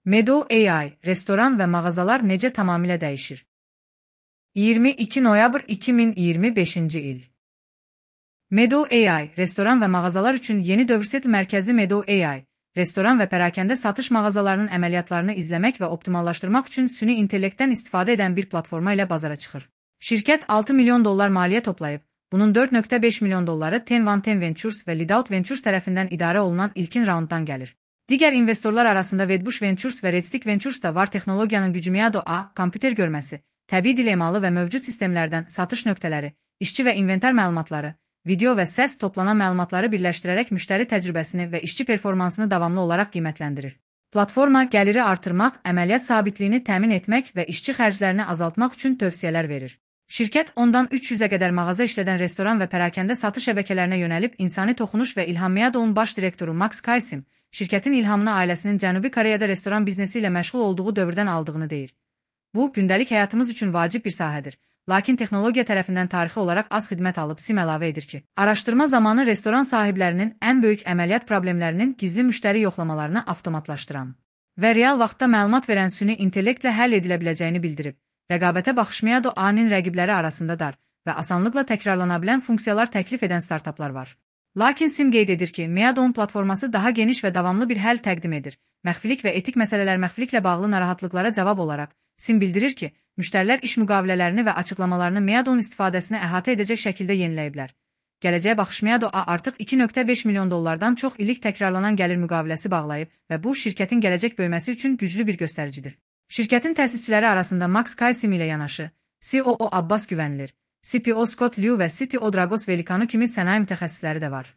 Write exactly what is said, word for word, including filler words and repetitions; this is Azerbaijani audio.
Meadow A I, restoran və mağazalar necə tamamilə dəyişir? iyirmi iki noyabr iki min iyirmi beşinci il. Meadow A I, restoran və mağazalar üçün yeni dövr set mərkəzi Meadow A I, restoran və pərakəndə satış mağazalarının əməliyyatlarını izləmək və optimallaşdırmaq üçün süni intellektdən istifadə edən bir platforma ilə bazara çıxır. Şirkət altı milyon dollar maliyyə toplayıb, bunun dörd nöqtə beş milyon dolları Ten Van Ten Ventures və Lidout Ventures tərəfindən idarə olunan ilkin raunddan gəlir. Digər investorlar arasında Wedbush Ventures və Redstick Ventures da var. Texnologiyanın gücü Meadow A I, kompüter görməsi, təbii dil emalı və mövcud sistemlərdən satış nöqtələri, işçi və inventar məlumatları, video və səs toplanan məlumatları birləşdirərək müştəri təcrübəsini və işçi performansını davamlı olaraq qiymətləndirir. Platforma gəliri artırmaq, əməliyyat sabitliyini təmin etmək və işçi xərclərini azaltmaq üçün tövsiyələr verir. Şirkət ondan üç yüzə qədər mağaza işlədən restoran və pərakəndə satış şəbəkələrinə yönəlib insani toxunuş və ilham. Meadow'un baş direktoru Max Kaysim, şirkətin ilhamını ailəsinin Cənubi Koreyada restoran biznesi ilə məşğul olduğu dövrdən aldığını deyir. Bu, gündəlik həyatımız üçün vacib bir sahədir. Lakin texnologiya tərəfindən tarixi olaraq az xidmət alıb. Sim əlavə edir ki, araşdırma zamanı restoran sahiblərinin ən böyük əməliyyat problemlərinin gizli müştəri yoxlamalarını avtomatlaşdıran və real vaxtda məlumat verən süni intellektlə həll edilə biləcəyini bildirib. Rəqabətə baxış Meadow A I-nin rəqibləri arasında dar və asanlıqla təkrarlana bilən funksiyalar təklif edən startaplar var. Lakin Sim qeyd edir ki, Meadow'un platforması daha geniş və davamlı bir həll təqdim edir. Məxfilik və etik məsələlər məxfiliklə bağlı narahatlıqlara cavab olaraq, Sim bildirir ki, müştərilər iş müqavilələrini və açıqlamalarını Meadow'un istifadəsini əhatə edəcək şəkildə yeniləyiblər. Gələcəyə baxış Meadow A I artıq iki nöqtə beş milyon dollardan çox illik təkrarlanan gəlir müqaviləsi bağlayıb və bu, şirkətin gələcək böyüməsi üçün güclü bir göstəricidir. Şirkətin təsisçiləri arasında Max Kaysim ilə yanaşı, C O O Abbas Güvənilir, C P O Scott Liu və C T O Dragos Velikanu kimi sənaye mütəxəssisləri də var.